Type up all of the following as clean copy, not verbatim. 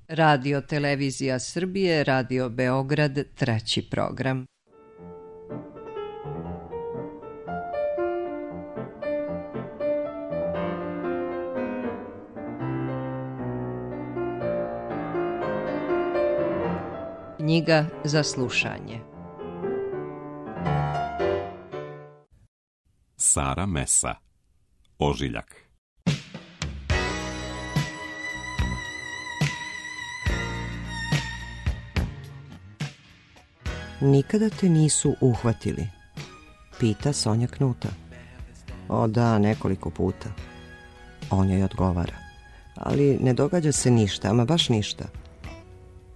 Radio Televizija Srbije, Radio Beograd, treći program. Knjiga za slušanje. Sara Mesa, Ožiljak. Nikada te nisu uhvatili, pita Sonja Knuta. O da, nekoliko puta. On joj odgovara. Ali ne događa se ništa, ama baš ništa.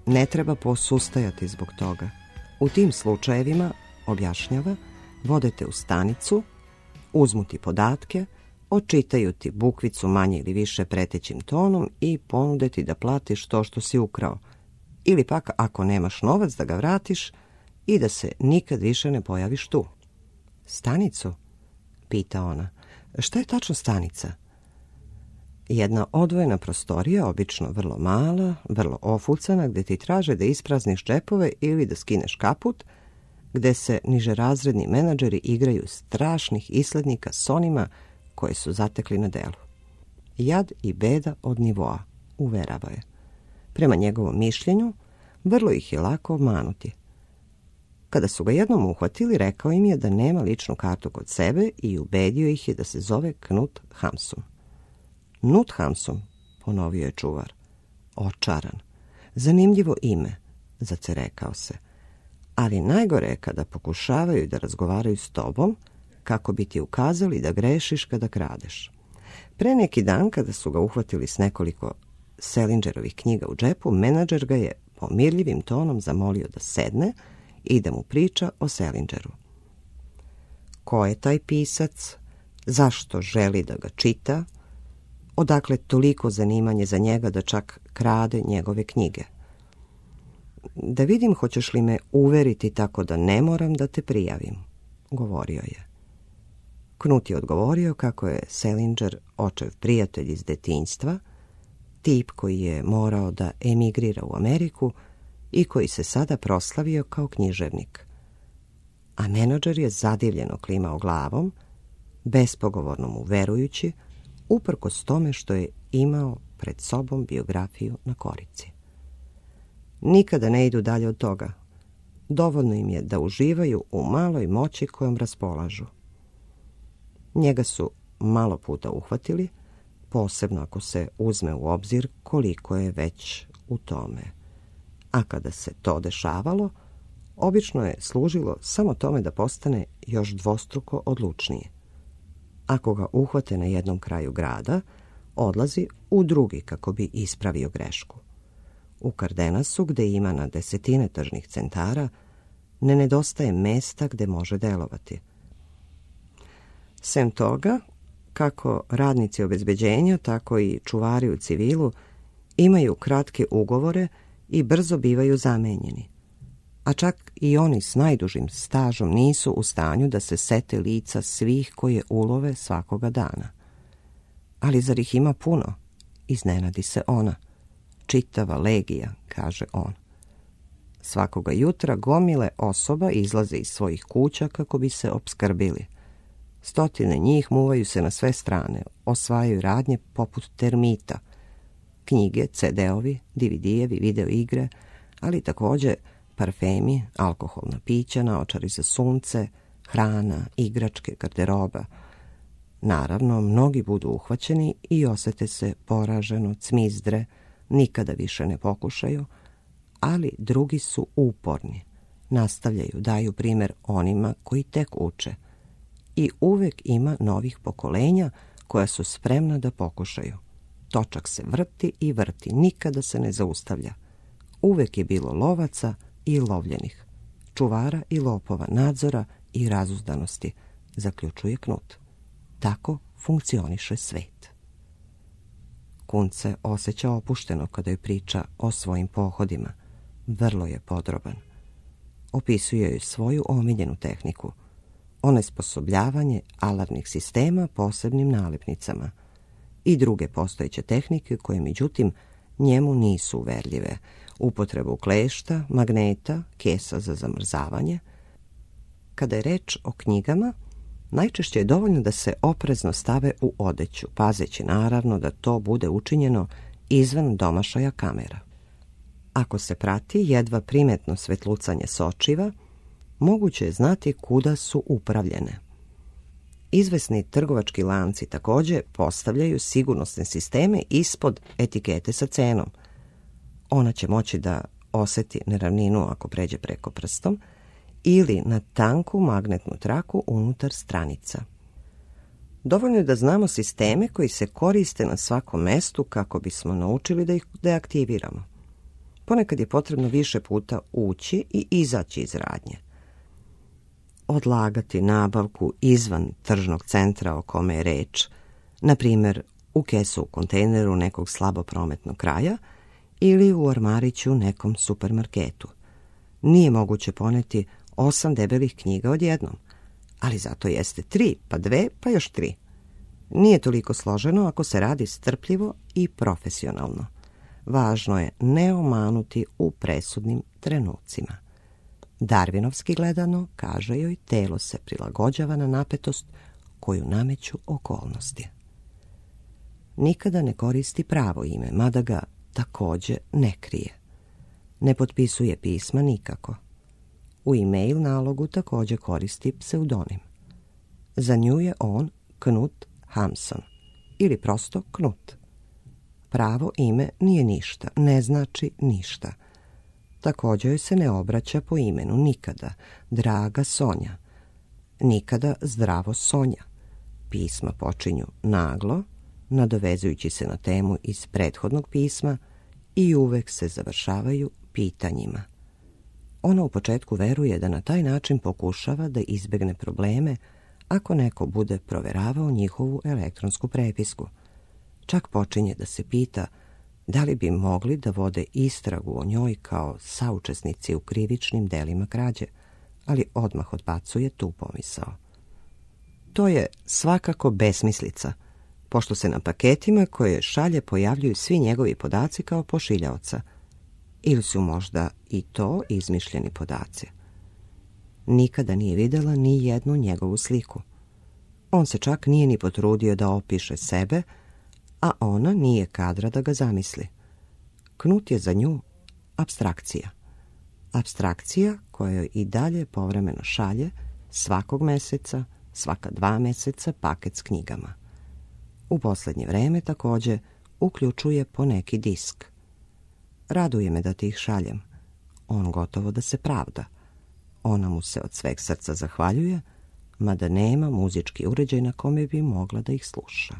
Ne treba posustajati zbog toga. U tim slučajevima, objašnjava, vodete u stanicu, uzmu ti podatke, očitaju ti bukvicu manje ili više pretećim tonom i ponude ti da platiš to što si ukrao. Ili pak, ako nemaš novac, da ga vratiš i da se nikad više ne pojaviš tu. Stanicu? Pita ona. Šta je tačno stanica? Jedna odvojena prostorija, obično vrlo mala, vrlo ofucana, gde ti traže da isprazniš džepove ili da skineš kaput, gde se nižerazredni menadžeri igraju strašnih islednika s onima koje su zatekli na delu. Jad i beda od nivoa, uverava je. Prema njegovom mišljenju, vrlo ih je lako obmanuti. Kada su ga jednom uhvatili, rekao im je da nema ličnu kartu kod sebe i ubedio ih je da se zove Knut Hamsun. Knut Hamsun, ponovio je čuvar. Očaran. Zanimljivo ime, zacerekao se. Ali najgore je kada pokušavaju da razgovaraju s tobom, kako bi ti ukazali da grešiš kada kradeš. Pre neki dan, kada su ga uhvatili s nekoliko Selingerovih knjiga u džepu, menadžer ga je pomirljivim tonom zamolio da sedne i da mu priča o Selingeru. Ko je taj pisac? Zašto želi da ga čita? Odakle toliko zanimanje za njega da čak krade njegove knjige? Da vidim hoćeš li me uveriti tako da ne moram da te prijavim, govorio je. Knut je odgovorio kako je Selinger očev prijatelj iz detinjstva, tip koji je morao da emigrira u Ameriku i koji se sada proslavio kao književnik. A menadžer je zadivljeno klimao glavom, bespogovorno mu verujući, uprkos tome što je imao pred sobom biografiju na korici. Nikada ne idu dalje od toga. Dovoljno im je da uživaju u maloj moći kojom raspolažu. Njega su malo puta uhvatili, posebno ako se uzme u obzir koliko je već u tome. A kada se to dešavalo, obično je služilo samo tome da postane još dvostruko odlučnije. Ako ga uhvate na jednom kraju grada, odlazi u drugi kako bi ispravio grešku. U Kardenasu, gde ima na desetine tržnih centara, ne nedostaje mesta gde može delovati. Sem toga, kako radnici obezbeđenja, tako i čuvari u civilu imaju kratke ugovore i brzo bivaju zamenjeni. A čak i oni s najdužim stažom nisu u stanju da se sete lica svih koje ulove svakoga dana. Ali zar ih ima puno? Iznenadi se ona. Čitava legija, kaže on. Svakoga jutra gomile osoba izlaze iz svojih kuća kako bi se opskrbili. Stotine njih muvaju se na sve strane, osvajaju radnje poput termita. Knjige, CD-ovi, DVD-evi, video igre, ali također parfemi, alkoholna pića, naočari za sunce, hrana, igračke, garderoba. Naravno, mnogi budu uhvaćeni i osete se poraženo, cmizdre, nikada više ne pokušaju, ali drugi su uporni, nastavljaju, daju primjer onima koji tek uče. I uvek ima novih pokolenja koja su spremna da pokušaju. Točak se vrti i vrti, nikada se ne zaustavlja. Uvek je bilo lovaca i lovljenih, čuvara i lopova, nadzora i razuzdanosti, zaključuje Knut. Tako funkcioniše svet. Kunt se osjeća opušteno kada joj priča o svojim pohodima. Vrlo je podroban. Opisuje joj svoju omiljenu tehniku, onesposobljavanje alarmnih sistema posebnim nalepnicama i druge postojeće tehnike koje, međutim, njemu nisu uverljive. Upotrebu klešta, magneta, kesa za zamrzavanje. Kada je reč o knjigama, najčešće je dovoljno da se oprezno stave u odeću, pazeći naravno da to bude učinjeno izvan domašaja kamera. Ako se prati jedva primetno svetlucanje sočiva, moguće je znati kuda su upravljene. Izvesni trgovački lanci također postavljaju sigurnosne sisteme ispod etikete sa cenom. Ona će moći da osjeti neravninu ako pređe preko prstom ili na tanku magnetnu traku unutar stranica. Dovoljno je da znamo sisteme koji se koriste na svakom mestu kako bismo naučili da ih deaktiviramo. Ponekad je potrebno više puta ući i izaći iz radnje. Odlagati nabavku izvan tržnog centra o kome je reč, na primjer u kesu u kontejneru nekog slabo prometnog kraja ili u ormariću nekom supermarketu. Nije moguće poneti 8 debelih knjiga odjednom, ali zato jeste 3, pa 2, pa još 3. Nije toliko složeno ako se radi strpljivo i profesionalno. Važno je ne omanuti u presudnim trenucima. Darwinovski gledano, kaže joj, telo se prilagođava na napetost koju nameću okolnosti. Nikada ne koristi pravo ime, mada ga također ne krije. Ne potpisuje pisma nikako. U e-mail nalogu također koristi pseudonim. Za nju je on Knut Hamsun ili prosto Knut. Pravo ime nije ništa, ne znači ništa. Također joj se ne obraća po imenu nikada, draga Sonja, nikada zdravo Sonja. Pisma počinju naglo, nadovezujući se na temu iz prethodnog pisma i uvek se završavaju pitanjima. Ona u početku veruje da na taj način pokušava da izbegne probleme ako neko bude proveravao njihovu elektronsku prepisku. Čak počinje da se pita da li bi mogli da vode istragu o njoj kao saučesnici u krivičnim delima krađe, ali odmah odbacuje tu pomisao. To je svakako besmislica, pošto se na paketima koje šalje pojavljuju svi njegovi podaci kao pošiljaoca, ili su možda i to izmišljeni podaci. Nikada nije videla ni jednu njegovu sliku. On se čak nije ni potrudio da opiše sebe, a ona nije kadra da ga zamisli. Knut je za nju apstrakcija. Apstrakcija koja joj i dalje povremeno šalje svakog meseca, svaka 2 meseca paket s knjigama. U posljednje vreme također uključuje po neki disk. Raduje me da ti ih šaljem. On gotovo da se pravda. Ona mu se od sveg srca zahvaljuje, mada nema muzički uređaj na kome bi mogla da ih sluša.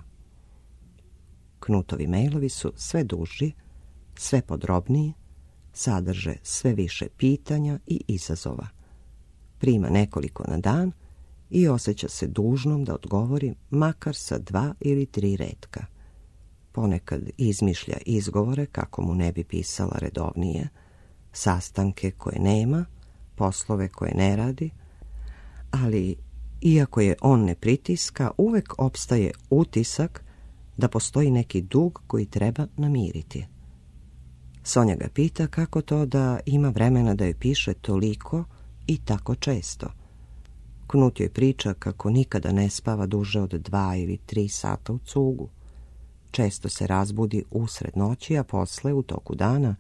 Knutovi mailovi su sve duži, sve podrobniji, sadrže sve više pitanja i izazova. Prima nekoliko na dan i osjeća se dužnom da odgovori makar sa 2 ili 3 retka. Ponekad izmišlja izgovore kako mu ne bi pisala redovnije, sastanke koje nema, poslove koje ne radi, ali iako je on ne pritiska, uvek opstaje utisak da postoji neki dug koji treba namiriti. Sonja ga pita kako to da ima vremena da joj piše toliko i tako često. Knut joj priča kako nikada ne spava duže od 2 ili 3 sata u cugu. Često se razbudi usred noći, a posle u toku dana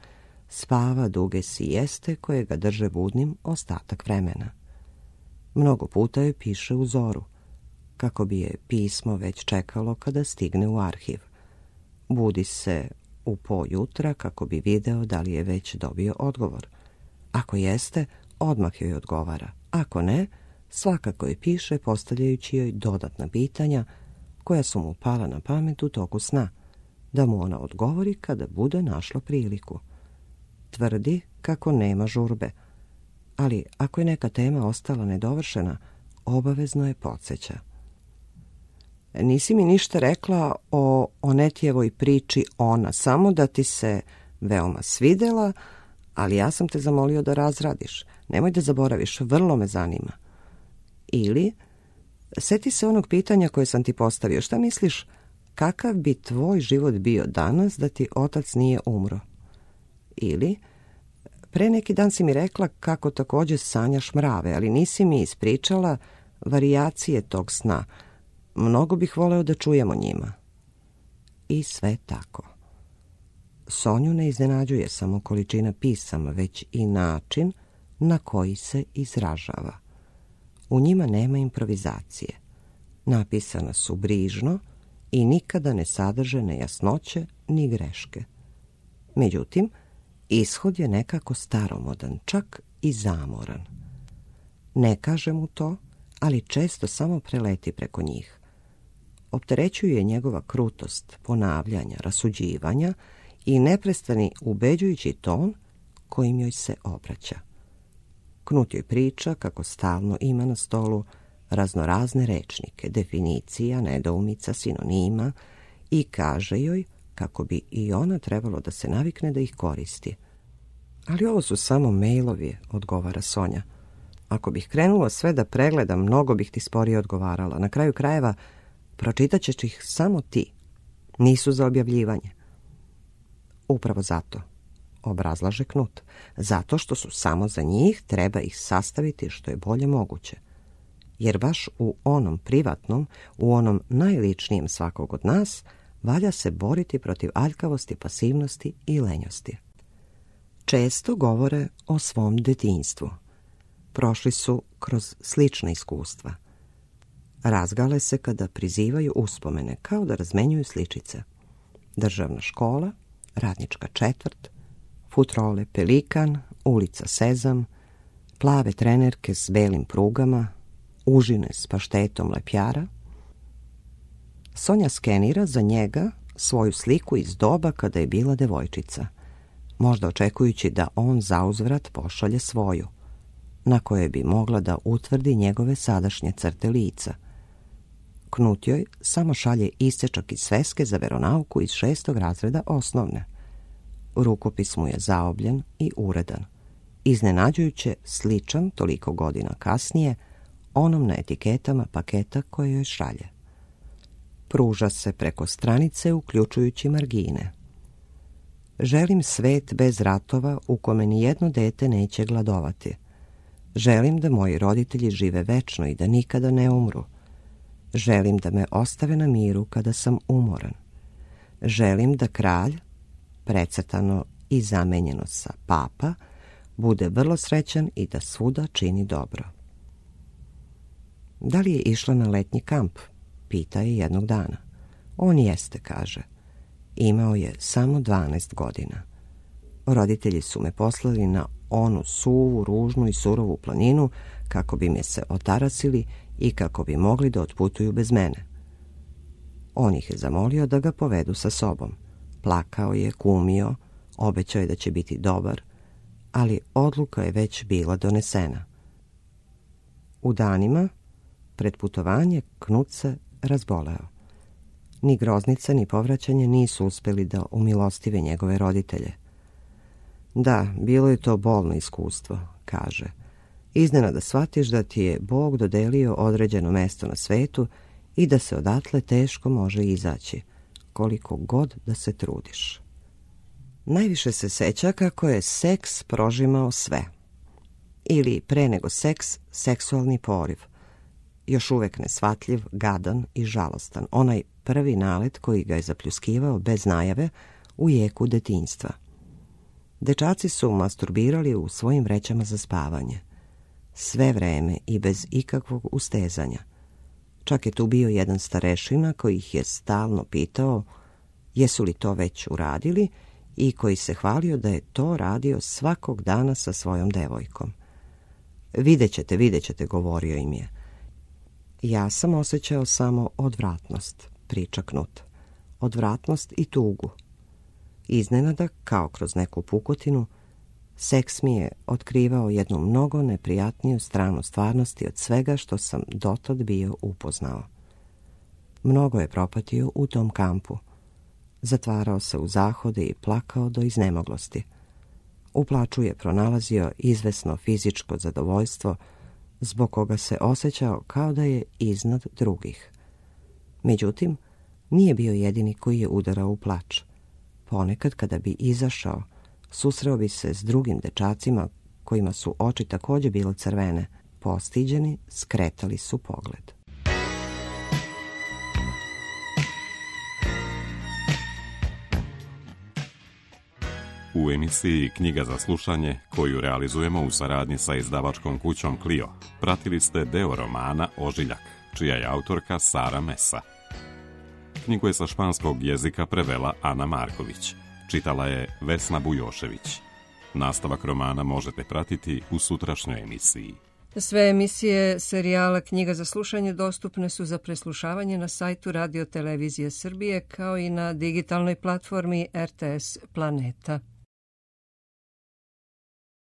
spava duge sijeste koje ga drže budnim ostatak vremena. Mnogo puta joj piše u zoru, kako bi je pismo već čekalo kada stigne u arhiv. Budi se u po jutra kako bi video da li je već dobio odgovor. Ako jeste, odmah joj odgovara. Ako ne, svakako je piše postavljajući joj dodatna pitanja koja su mu pala na pamet u toku sna, da mu ona odgovori kada bude našla priliku. Tvrdi kako nema žurbe, ali ako je neka tema ostala nedovršena, obavezno je podsjeća. Nisi mi ništa rekla o Onetijevoj priči Ona, samo da ti se veoma svidela, ali ja sam te zamolio da razradiš. Nemoj da zaboraviš, vrlo me zanima. Ili, seti se onog pitanja koje sam ti postavio. Šta misliš, kakav bi tvoj život bio danas da ti otac nije umro? Ili, pre neki dan si mi rekla kako također sanjaš mrave, ali nisi mi ispričala varijacije tog sna. Mnogo bih voleo da čujemo njima. I sve tako. Sonju ne iznenađuje samo količina pisama, već i način na koji se izražava. U njima nema improvizacije. Napisana su brižno i nikada ne sadrže nejasnoće ni greške. Međutim, ishod je nekako staromodan, čak i zamoran. Ne kaže mu to, ali često samo preleti preko njih. Opterećuje njegova krutost, ponavljanja, rasuđivanja i neprestani ubeđujući ton kojim joj se obraća. Knut joj priča kako stalno ima na stolu raznorazne rečnike, definicija, nedoumica, sinonima i kaže joj kako bi i ona trebalo da se navikne da ih koristi. Ali ovo su samo mailovi, odgovara Sonja. Ako bih krenula sve da pregledam, mnogo bih ti sporije odgovarala. Na kraju krajeva, pročitat ćeš ih samo ti. Nisu za objavljivanje. Upravo zato, obrazlaže Knut. Zato što su samo za njih, treba ih sastaviti što je bolje moguće. Jer baš u onom privatnom, u onom najličnijem svakog od nas, valja se boriti protiv aljkavosti, pasivnosti i lenjosti. Često govore o svom detinjstvu. Prošli su kroz slična iskustva. Razgale se kada prizivaju uspomene, kao da razmenjuju sličice. Državna škola, radnička četvrt, futrole Pelikan, ulica Sezam, plave trenerke s belim prugama, užine s paštetom lepjara. Sonja skenira za njega svoju sliku iz doba kada je bila devojčica, možda očekujući da on zauzvrat pošalje svoju, na kojoj bi mogla da utvrdi njegove sadašnje crte lica. Knut joj samo šalje isečak iz sveske za veronauku iz 6. razreda osnovne. Rukopis mu je zaobljen i uredan, iznenađujuće sličan toliko godina kasnije onom na etiketama paketa koje joj šalje. Pruža se preko stranice uključujući margine. Želim svet bez ratova u kome ni jedno dete neće gladovati. Želim da moji roditelji žive večno i da nikada ne umru. Želim da me ostave na miru kada sam umoran. Želim da kralj, precrtano i zamenjeno sa papa, bude vrlo srećan i da svuda čini dobro. Da li je išla na letnji kamp? Pita je jednog dana. On jeste, kaže. Imao je samo 12 godina. Roditelji su me poslali na onu suvu, ružnu i surovu planinu kako bi me se otarasili i kako bi mogli da otputuju bez mene. On ih je zamolio da ga povedu sa sobom. Plakao je, kumio, obećao je da će biti dobar, ali odluka je već bila donesena. U danima pred putovanje Knut se razboleo. Ni groznica ni povraćanje nisu uspjeli da umilostive njegove roditelje. Da, bilo je to bolno iskustvo, kaže. Iznenada shvatiš da ti je Bog dodelio određeno mesto na svetu i da se odatle teško može izaći, koliko god da se trudiš. Najviše se seća kako je seks prožimao sve. Ili pre nego seks, seksualni poriv. Još uvek nesvatljiv, gadan i žalostan. Onaj prvi nalet koji ga je zapljuskivao bez najave u jeku detinjstva. Dečaci su masturbirali u svojim vrećama za spavanje. Sve vreme i bez ikakvog ustezanja. Čak je tu bio jedan starešina koji ih je stalno pitao jesu li to već uradili i koji se hvalio da je to radio svakog dana sa svojom devojkom. Vidjet ćete, govorio im je. Ja sam osjećao samo odvratnost, priča Knut. Odvratnost i tugu. Iznenada, kao kroz neku pukotinu, seks mi je otkrivao jednu mnogo neprijatniju stranu stvarnosti od svega što sam dotad bio upoznao. Mnogo je propatio u tom kampu. Zatvarao se u zahode i plakao do iznemoglosti. U plaču je pronalazio izvesno fizičko zadovoljstvo, zbog koga se osjećao kao da je iznad drugih. Međutim, Nije bio jedini koji je udarao u plač. Ponekad, kada bi izašao, susreo bi se s drugim dečacima kojima su oči također bile crvene. Postiđeni, skretali su pogled. U emisiji Knjiga za slušanje, koju realizujemo u saradnji sa izdavačkom kućom Clio, pratili ste deo romana Ožiljak, čija je autorka Sara Mesa. Knjigu je sa španskog jezika prevela Ana Marković. Čitala je Vesna Bujošević. Nastavak romana možete pratiti u sutrašnjoj emisiji. Sve emisije serijala Knjiga za slušanje dostupne su za preslušavanje na sajtu Radio Televizije Srbije kao i na digitalnoj platformi RTS Planeta.